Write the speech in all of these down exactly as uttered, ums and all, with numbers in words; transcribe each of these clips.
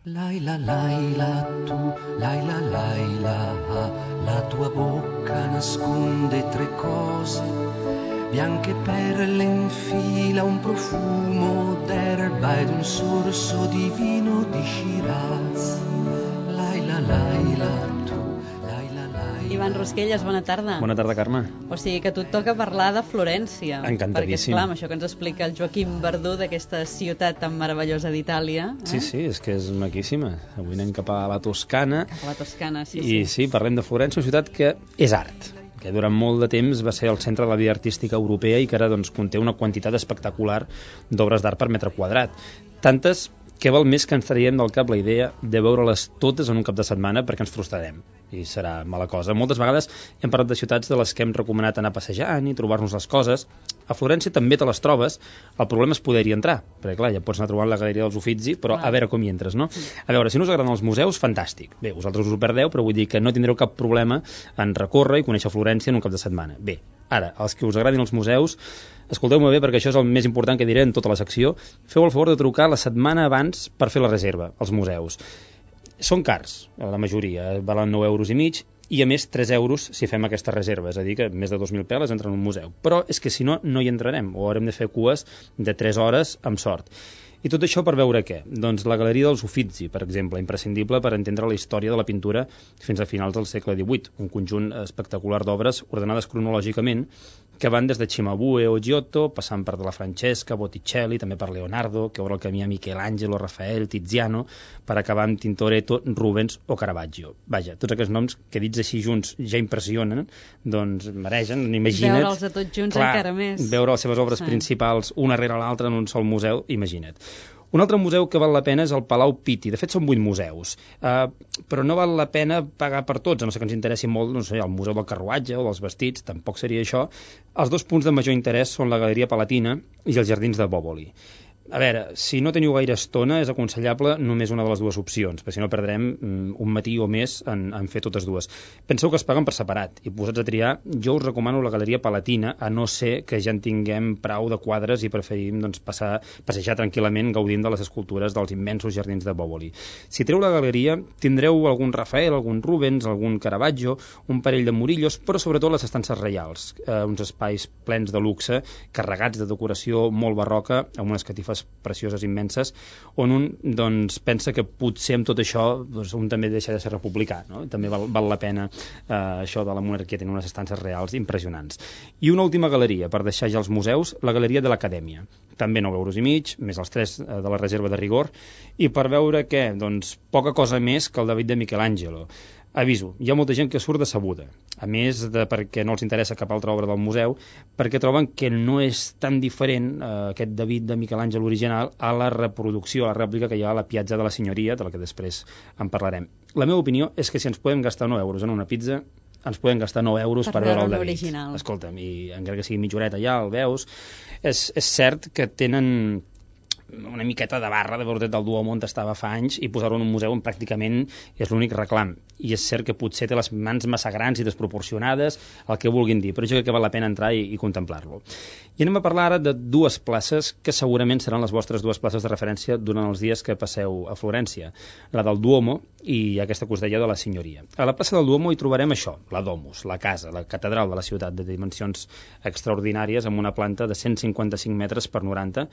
Laila, Laila, tu, Laila, Laila, la tua bocca nasconde tre cose, bianche perle in fila, un profumo d'erba ed un sorso di vino di Shiraz. Laila, Laila, tu, Laila, Laila. Ivan Rosquelles, bona tarda. Bona tarda, Carme. O sigui que a tu et toca parlar de Florència. Encantadíssim. Perquè, esclar, amb això que ens explica el Joaquim Verdú d'aquesta ciutat tan meravellosa d'Itàlia. Eh? Sí, sí, és que és maquíssima. Avui anem cap a la Toscana. Cap a la Toscana, sí, I sí. sí, parlem de Florència, una ciutat que és art, que durant molt de temps va ser el centre de la vida artística europea i que ara doncs, conté una quantitat espectacular d'obres d'art per metre quadrat. Tantes que val més que ens traiem del cap la idea de veure-les totes en un cap de setmana perquè ens frustrarem i serà mala cosa. Moltes vegades hem parlat de ciutats de les que hem recomanat anar passejant i trobar-nos les coses. A Florència també te les trobes, el problema és poder-hi entrar, perquè clar, ja pots anar trobant la Galeria dels Uffizi, però a veure com hi entres, no? A veure, si no us agraden els museus, fantàstic. Bé, vosaltres us ho perdeu, però vull dir que no tindreu cap problema en recórrer i conèixer Florència en un cap de setmana. Bé, ara, els que us agradin els museus, escolteu-me bé perquè això és el més important que diré en tota la secció, feu el favor de trucar la setmana abans per fer la reserva als museus. Són cars, la majoria, valen nou euros i mig, i a més tres euros si fem aquesta reserva, és a dir que més de dos mil peles entren en un museu. Però és que si no, no hi entrarem, o haurem de fer cues de tres hores amb sort. I tot això per veure què? Doncs la Galeria dels Uffizi, per exemple, imprescindible per entendre la història de la pintura fins a finals del segle divuit, un conjunt espectacular d'obres ordenades cronològicament que van des de Cimabue o Giotto, passant per de la Francesca, Botticelli, també per Leonardo, que obre el camí a Michelangelo, Rafael, Tiziano, per acabar amb Tintoretto, Rubens o Caravaggio. Vaja, tots aquests noms que dits així junts ja impressionen, doncs mereixen, imagina't... Veure'ls a tots junts clar, encara més. Veure les seves obres sí. principals una rere l'altra en un sol museu, imagina't. Un altre museu que val la pena és el Palau Pitti. De fet, són vuit museus. Uh, però no val la pena pagar per tots, a no ser que ens interessi molt no sé, el Museu del Carruatge o dels Vestits, tampoc seria això. Els dos punts de major interès són la Galeria Palatina i els Jardins de Bòvoli. A veure, si no teniu gaire estona, és aconsellable només una de les dues opcions, perquè si no perdrem un matí o més en, en fer totes dues. Penseu que es paguen per separat, i posats a triar, jo us recomano la Galeria Palatina, a no ser que ja en tinguem prou de quadres i preferim doncs, passar, passejar tranquil·lament gaudint de les escultures dels immensos jardins de Bòvoli. Si treu la galeria, tindreu algun Rafael, algun Rubens, algun Caravaggio, un parell de Murillos, però sobretot les estances reials, eh, uns espais plens de luxe, carregats de decoració molt barroca, amb unes catifes precioses immenses, on un doncs, pensa que potser amb tot això doncs, un també deixa de ser republicà, no? També val, val la pena eh, això de la monarquia, tenir unes estances reals impressionants. I una última galeria, per deixar ja els museus, la Galeria de l'Acadèmia. També nou euros i mig, més els tres eh, de la reserva de rigor, i per veure què? Doncs poca cosa més que el David de Michelangelo. Aviso, hi ha molta gent que surt decebuda, a més de perquè no els interessa cap altra obra del museu, perquè troben que no és tan diferent eh, aquest David de Michelangelo original a la reproducció, a la rèplica que hi ha a la Piazza de la Signoria, de la que després en parlarem. La meva opinió és que si ens podem gastar nou euros en una pizza, ens podem gastar nou euros per, per veure el David. Original. Escolta'm, i encara que sigui mitja horeta ja, el veus, és, és cert que tenen una miqueta de barra de veure del Duomo on estava fa anys i posar-ho en un museu on pràcticament és l'únic reclam. I és cert que potser té les mans massa grans i desproporcionades, el que vulguin dir, però jo crec que val la pena entrar i, i contemplar-lo. I anem a parlar ara de dues places que segurament seran les vostres dues places de referència durant els dies que passeu a Florència. La del Duomo i aquesta que us deia de la Signoria. A la plaça del Duomo hi trobarem això, la Domus, la casa, la catedral de la ciutat, de dimensions extraordinàries, amb una planta de cent cinquanta-cinc metres per noranta,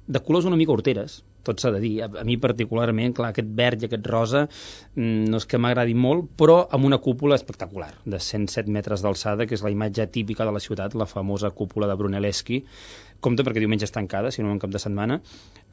de colors una mica horteres, tot s'ha de dir. A, a mi particularment, clar, aquest verd i aquest rosa no és que m'agradi molt, però amb una cúpula espectacular, de cent set metres d'alçada, que és la imatge típica de la ciutat, la famosa cúpula de Brunelleschi. Compte perquè diumenge és tancada, si no en cap de setmana.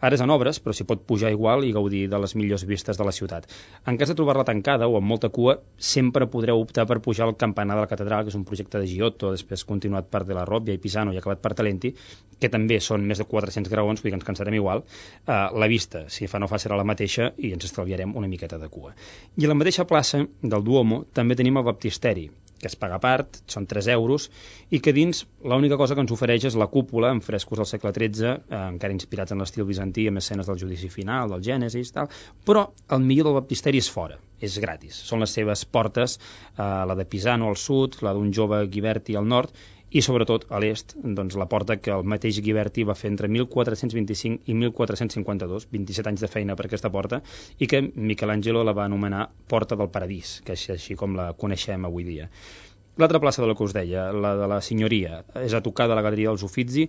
Ara és en obres, però s'hi pot pujar igual i gaudir de les millors vistes de la ciutat. En cas de trobar-la tancada o amb molta cua, sempre podreu optar per pujar al campanar de la catedral, que és un projecte de Giotto, després continuat per De la Robbia i Pisano i acabat per Talenti, que també són més de quatre-cents graons, vull dir que ens cansarem igual. Uh, la vista, si fa no fa, serà la mateixa i ens estalviarem una miqueta de cua. I a la mateixa plaça del Duomo també tenim el baptisteri, que es paga a part, són tres euros, i que dins l'única cosa que ens ofereix és la cúpula amb frescos del segle tretze, eh, encara inspirats en l'estil bizantí, amb escenes del judici final, del Gènesis, tal. Però el millor del baptisteri és fora, és gratis. Són les seves portes, eh, la de Pisano al sud, la d'un jove Ghiberti al nord, i sobretot a l'est, doncs, la porta que el mateix Ghiberti va fer entre mil quatre-cents vint-i-cinc i mil quatre-cents cinquanta-dos, vint-i-set anys de feina per aquesta porta, i que Michelangelo la va anomenar Porta del Paradís, que és així com la coneixem avui dia. L'altra plaça de la que us deia, la de la Signoria, és a tocar de la Galeria dels Uffizi,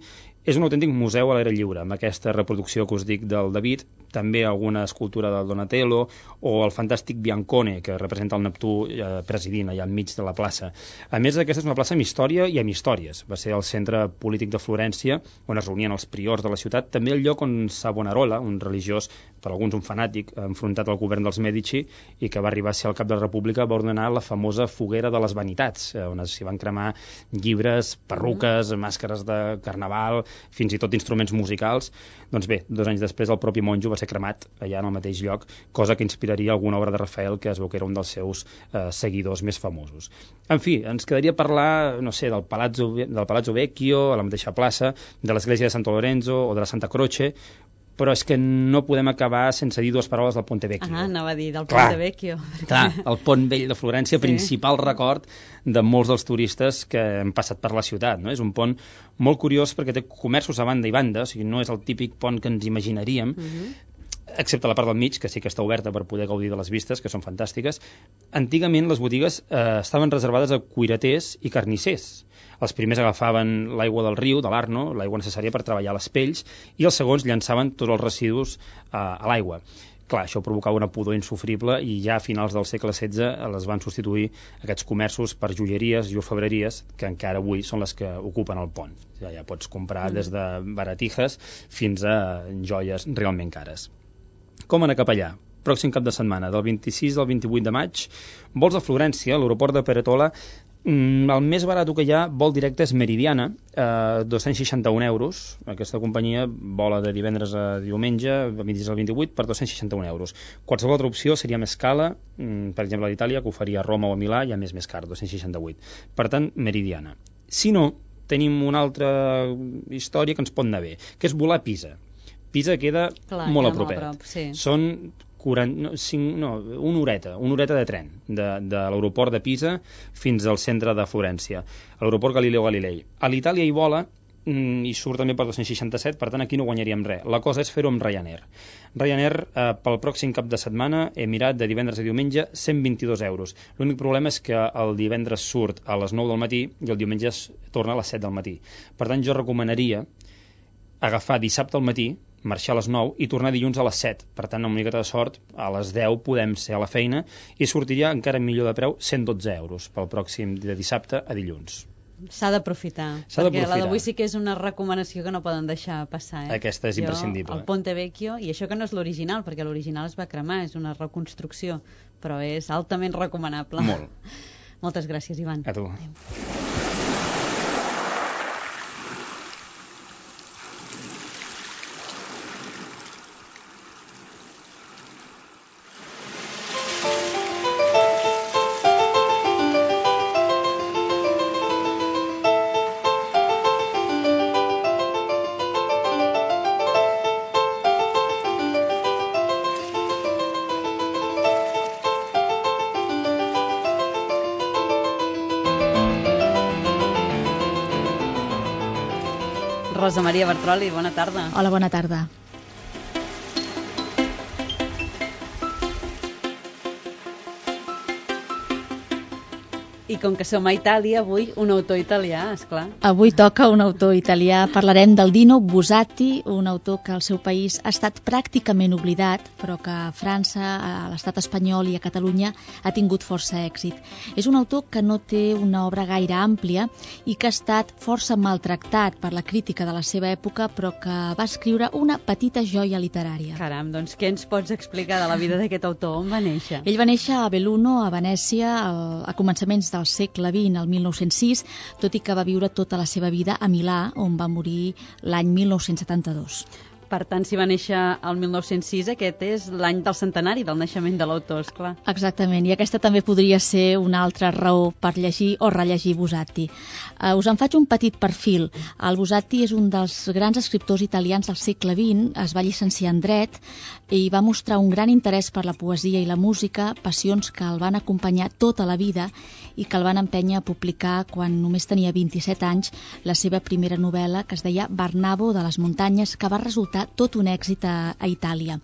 és un autèntic museu a l'aire lliure, amb aquesta reproducció que us dic del David, també alguna escultura del Donatello o el fantàstic Biancone, que representa el Neptú eh, presidint allà enmig de la plaça. A més, aquesta és una plaça amb història i amb històries. Va ser el centre polític de Florència, on es reunien els priors de la ciutat, també el lloc on Savonarola, un religiós, per alguns un fanàtic, enfrontat al govern dels Medici i que va arribar a ser el cap de la República, va ordenar la famosa foguera de les vanitats, on s'hi van cremar llibres, perruques, màscares de carnaval, fins i tot instruments musicals. Doncs bé, dos anys després el propi monjo va ser cremat allà en el mateix lloc, cosa que inspiraria alguna obra de Rafael, que es veu que era un dels seus eh, seguidors més famosos. En fi, ens quedaria parlar, no sé, del Palazzo, del Palazzo Vecchio, a la mateixa plaça, de l'església de Santo Lorenzo o de la Santa Croce, però és que no podem acabar sense dir dues paraules del Ponte Vecchio. Ah, anava a dir del clar, Ponte Vecchio. Clar, el pont vell de Florència, sí. Principal record de molts dels turistes que han passat per la ciutat, no? És un pont molt curiós perquè té comerços a banda i banda, o sigui, no és el típic pont que ens imaginaríem, uh-huh. excepte la part del mig, que sí que està oberta per poder gaudir de les vistes, que són fantàstiques. Antigament les botigues eh, estaven reservades a cuiraters i carnissers. Els primers agafaven l'aigua del riu, de l'Arno, l'aigua necessària per treballar les pells, i els segons llançaven tots els residus eh, a l'aigua. Clar, això provocava una pudor insofrible i ja a finals del segle setze les van substituir aquests comerços per joieries i orfebreries, que encara avui són les que ocupen el pont. Ja, ja pots comprar mm. des de baratijas fins a joies realment cares. Com anar cap allà? Pròxim cap de setmana, del vint-i-sis al vint-i-vuit de maig, vols a Florència, a l'aeroport de Peretola. Mm, el més barat que hi ha, vol directe, és Meridiana, eh, dos-cents seixanta-un euros. Aquesta companyia vola de divendres a diumenge, vint-i-sis al vint-i-vuit, per dos-cents seixanta-un euros. Qualsevol altra opció seria més cala, mm, per exemple a l'Itàlia, que ho faria a Roma o a Milà, ja més més car, dos-cents seixanta-vuit. Per tant, Meridiana. Si no, tenim una altra història que ens pot anar bé, que és volar a Pisa. Pisa queda Clar, molt a propet. Molt a prop, sí. Són quaranta, no, cinc, no, una horeta, una horeta de tren de, de l'aeroport de Pisa fins al centre de Florència, a l'aeroport Galileo Galilei. A l'Itàlia hi vola i surt també per dos-cents seixanta-set, per tant aquí no guanyaríem res. La cosa és fer-ho amb Ryanair. Ryanair, eh, pel pròxim cap de setmana, he mirat de divendres a diumenge, cent vint-i-dos euros. L'únic problema és que el divendres surt a les nou del matí i el diumenge torna a les set del matí. Per tant, jo recomanaria agafar dissabte al matí, marxar a les nou i tornar dilluns a les set. Per tant, amb una miqueta de sort, a les deu podem ser a la feina i sortiria encara millor de preu, cent dotze euros pel pròxim de dissabte a dilluns. S'ha d'aprofitar, perquè la d'avui sí que és una recomanació que no poden deixar passar. Eh? Aquesta és imprescindible. Jo, el Ponte Vecchio, i això que no és l'original, perquè l'original es va cremar, és una reconstrucció, però és altament recomanable. Molt. Moltes gràcies, Ivan. A tu. Adéu. Rosa Maria Bertroli, bona tarda. Hola, bona tarda. I com que som a Itàlia, avui un autor italià, esclar. Avui toca un autor italià. Parlarem del Dino Buzzati, un autor que al seu país ha estat pràcticament oblidat, però que a França, a l'estat espanyol i a Catalunya ha tingut força èxit. És un autor que no té una obra gaire àmplia i que ha estat força maltractat per la crítica de la seva època, però que va escriure una petita joia literària. Caram, doncs què ens pots explicar de la vida d'aquest autor? On va néixer? Ell va néixer a Belluno, a Venècia, a començaments del segle vint, el mil nou-cents sis, tot i que va viure tota la seva vida a Milà, on va morir l'any mil nou-cents setanta-dos. Per tant, si va néixer el mil nou-cents sis, aquest és l'any del centenari del naixement de l'autor, esclar. Exactament, i aquesta també podria ser una altra raó per llegir o rellegir Buzzati. Uh, us en faig un petit perfil. El Buzzati és un dels grans escriptors italians del segle vint, es va llicenciar en dret i va mostrar un gran interès per la poesia i la música, passions que el van acompanyar tota la vida i que el van empènyer a publicar quan només tenia vint-i-set anys la seva primera novel·la, que es deia Barnabo de les muntanyes, que va resultar tot un èxit a, a Itàlia.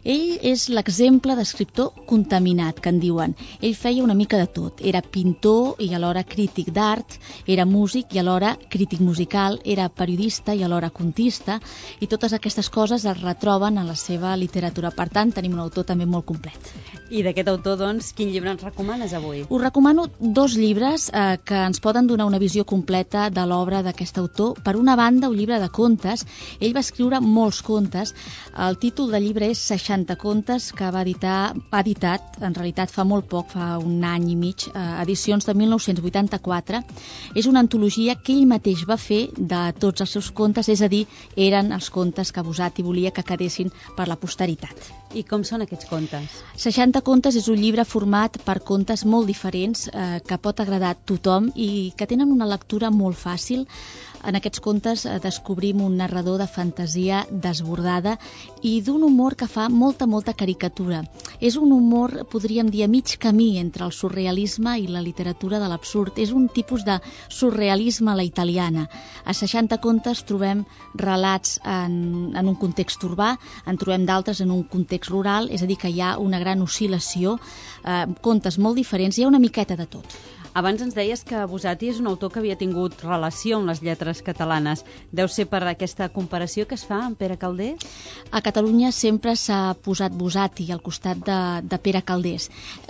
Ell és l'exemple d'escriptor contaminat, que en diuen. Ell feia una mica de tot. Era pintor i alhora crític d'art, era músic i alhora crític musical, era periodista i alhora contista, i totes aquestes coses es retroben en la seva literatura. Per tant, tenim un autor també molt complet. I d'aquest autor, doncs, quin llibre ens recomanes avui? Us recomano dos llibres eh, que ens poden donar una visió completa de l'obra d'aquest autor. Per una banda, un llibre de contes. Ell va escriure molts contes. El títol del llibre és seixanta contes, que va editar, ha editat, en realitat fa molt poc, fa un any i mig, eh, edicions de mil nou-cents vuitanta-quatre. És una antologia que ell mateix va fer de tots els seus contes, és a dir, eren els contes que Buzzati volia que quedessin per la posteritat. I com són aquests contes? seixanta contes és un llibre format per contes molt diferents eh, que pot agradar a tothom i que tenen una lectura molt fàcil. En aquests contes eh, descobrim un narrador de fantasia desbordada i d'un humor que fa molta, molta caricatura. És un humor, podríem dir, a mig camí entre el surrealisme i la literatura de l'absurd. És un tipus de surrealisme a la italiana. A seixanta contes trobem relats en, en un context urbà, en trobem d'altres en un context rural, és a dir, que hi ha una gran oscil·lació, eh, contes molt diferents, hi ha una miqueta de tot. Abans ens deies que Buzzati és un autor que havia tingut relació amb les lletres catalanes. Deu ser per aquesta comparació que es fa amb Pere Calders? A Catalunya sempre s'ha posat Buzzati al costat de, de Pere Calders.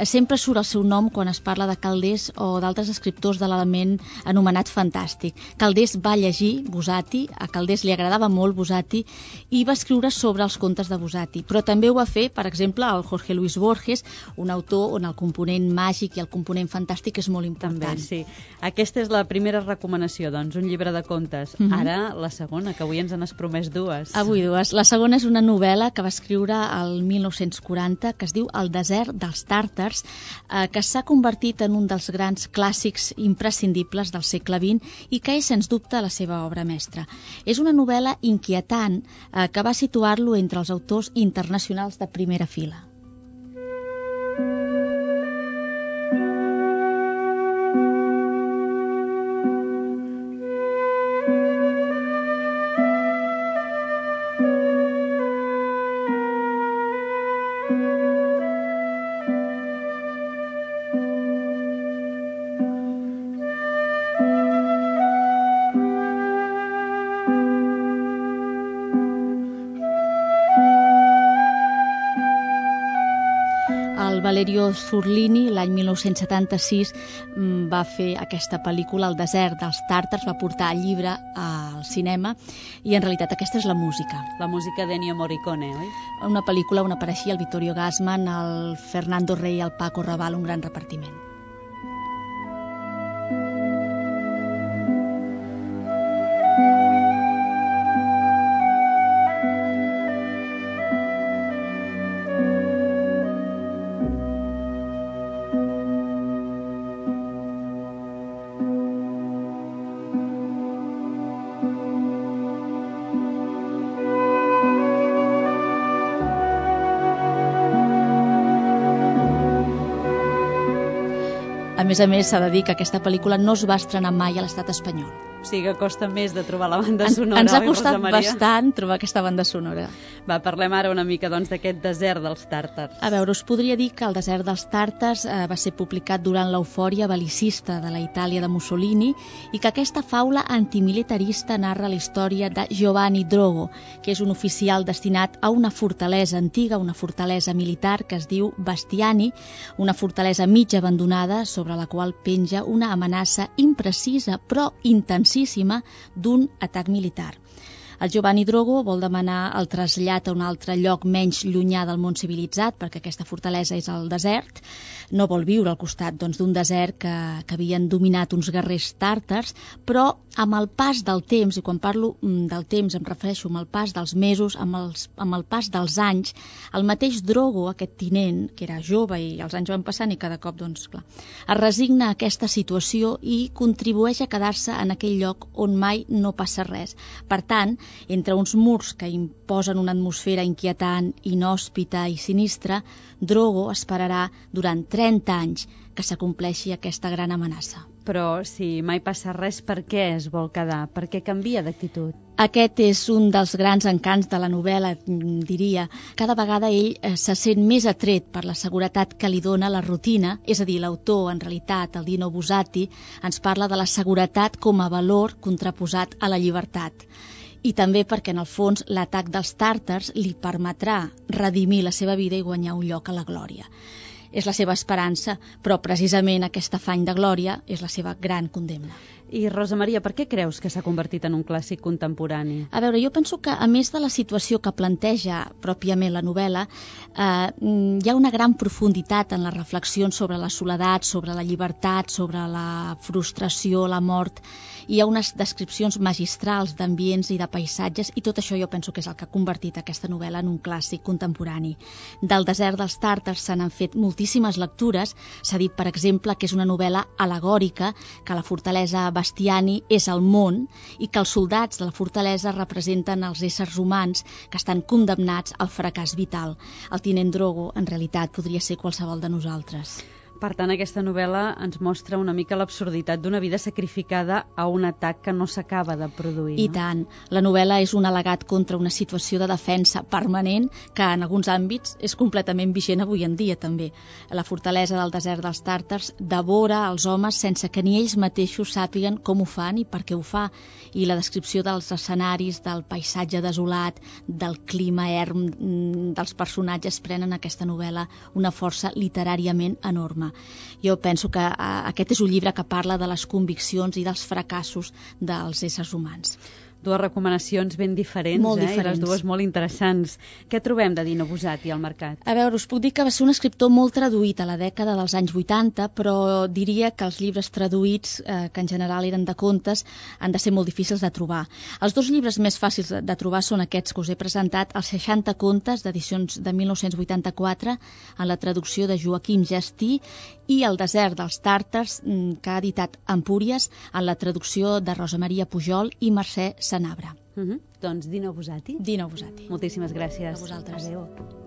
Sempre surt el seu nom quan es parla de Calders o d'altres escriptors de l'element anomenat fantàstic. Calders va llegir Buzzati, a Calders li agradava molt Buzzati i va escriure sobre els contes de Buzzati. Però també ho va fer, per exemple, el Jorge Luis Borges, un autor on el component màgic i el component fantàstic és molt important. També, sí. Aquesta és la primera recomanació, doncs, un llibre de contes. Uh-huh. Ara, la segona, que avui ens n'has promès dues. Avui dues. La segona és una novel·la que va escriure el mil nou-cents quaranta, que es diu El desert dels tàrtars, eh, que s'ha convertit en un dels grans clàssics imprescindibles del segle vint i que és, sens dubte, la seva obra mestra. És una novel·la inquietant eh, que va situar-lo entre els autors internacionals de primera fila. Valerio Zurlini, l'any mil nou-cents setanta-sis, va fer aquesta pel·lícula, El desert dels tàrtars, va portar el llibre al cinema i en realitat aquesta és la música. La música d'Ennio Morricone, oi? Una pel·lícula on apareixia el Vittorio Gassman, el Fernando Rey, el Paco Rabanne, un gran repartiment. A més a més, s'ha de dir que aquesta pel·lícula no es va estrenar mai a l'estat espanyol. O sigui que costa més de trobar la banda sonora. Ens ha costat bastant trobar aquesta banda sonora. Va, parlem ara una mica doncs d'aquest desert dels tàrtars. A veure, us podria dir que El desert dels tàrtars eh, va ser publicat durant l'eufòria bel·licista de la Itàlia de Mussolini i que aquesta faula antimilitarista narra la història de Giovanni Drogo, que és un oficial destinat a una fortalesa antiga, una fortalesa militar que es diu Bastiani, una fortalesa mig abandonada sobre la qual penja una amenaça imprecisa però intensíssima d'un atac militar. El Giovanni Drogo vol demanar el trasllat a un altre lloc menys llunyà del món civilitzat, perquè aquesta fortalesa és al desert. No vol viure al costat doncs, d'un desert que, que havien dominat uns guerrers tàrtars, però amb el pas del temps, i quan parlo del temps em refereixo amb el pas dels mesos, amb, els, amb el pas dels anys, el mateix Drogo, aquest tinent, que era jove i els anys van passant i cada cop doncs, clar, es resigna a aquesta situació i contribueix a quedar-se en aquell lloc on mai no passa res. Per tant, entre uns murs que imposen una atmosfera inquietant, inhòspita i sinistra, Drogo esperarà durant trenta anys que s'acompleixi aquesta gran amenaça. Però si mai passa res, per què es vol quedar? Per què canvia d'actitud? Aquest és un dels grans encants de la novel·la, diria. Cada vegada ell se sent més atret per la seguretat que li dona la rutina, és a dir, l'autor, en realitat, el Dino Buzzati, ens parla de la seguretat com a valor contraposat a la llibertat. I també perquè, en el fons, l'atac dels tàrtars li permetrà redimir la seva vida i guanyar un lloc a la glòria. És la seva esperança, però precisament aquest afany de glòria és la seva gran condemna. I Rosa Maria, per què creus que s'ha convertit en un clàssic contemporani? A veure, jo penso que, a més de la situació que planteja pròpiament la novel·la, eh, hi ha una gran profunditat en les reflexions sobre la soledat, sobre la llibertat, sobre la frustració, la mort. Hi ha unes descripcions magistrals d'ambients i de paisatges, i tot això jo penso que és el que ha convertit aquesta novel·la en un clàssic contemporani. Del desert dels tàrtars se n'han fet moltíssimes lectures. S'ha dit, per exemple, que és una novel·la alegòrica, que la fortalesa Bastiani és el món i que els soldats de la fortalesa representen els éssers humans que estan condemnats al fracàs vital. El tinent Drogo, en realitat, podria ser qualsevol de nosaltres. Per tant, aquesta novel·la ens mostra una mica l'absurditat d'una vida sacrificada a un atac que no s'acaba de produir. I no? tant. La novel·la és un al·legat contra una situació de defensa permanent que en alguns àmbits és completament vigent avui en dia també. La fortalesa del desert dels tàrtars devora els homes sense que ni ells mateixos sàpiguen com ho fan i per què ho fa. I la descripció dels escenaris, del paisatge desolat, del clima erm, dels personatges prenen aquesta novel·la una força literàriament enorme. Jo penso que aquest és un llibre que parla de les conviccions i dels fracassos dels éssers humans. Dues recomanacions ben diferents, molt eh? diferents. I les dues molt interessants. Què trobem de Dino Buzzati al mercat? A veure, us puc dir que va ser un escriptor molt traduït a la dècada dels anys vuitanta, però diria que els llibres traduïts, eh, que en general eren de contes, han de ser molt difícils de trobar. Els dos llibres més fàcils de trobar són aquests que us he presentat, els seixanta contes d'edicions de mil nou-cents vuitanta-quatre, en la traducció de Joaquim Gestí, i El desert dels tàrtars, que ha editat Empúries, en la traducció de Rosa Maria Pujol i Mercè Sanabra. Uh-huh. Doncs Dino Buzzati. Dino Buzzati. Moltíssimes gràcies. A vosaltres. Adéu.